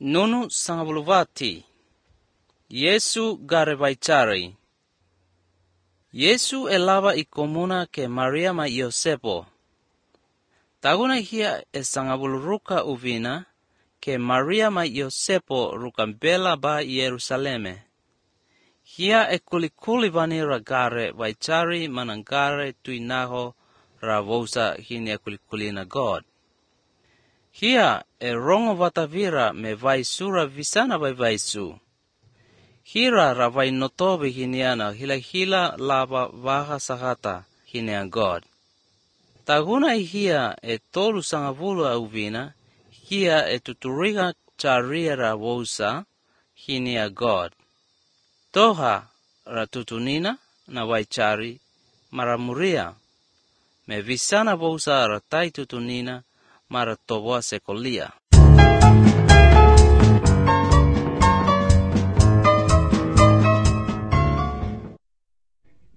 Nunu sangabuluvati. Yesu garevaichari. Yesu elava ikomuna ke Maria ma Yosepo. Taguna hia sangabuluruka uvina ke Maria ma Yosepo rukambela ba Yerusaleme. Hia kulikuli vanira gare vaichari manangare tuinaho ravosa hini kulikulina God. Hia rongo vatavira me vaisura visana vai vaisu. Hira ravai notobe hiniana hila lava vaha sahata hinia God. Taguna hia tolu sangavulu auvina, hia tuturiga charia ravosa hinia God. Toha ratutunina na vaichari maramuria, me visana vosa ratai tutunina maratoboa sekolia.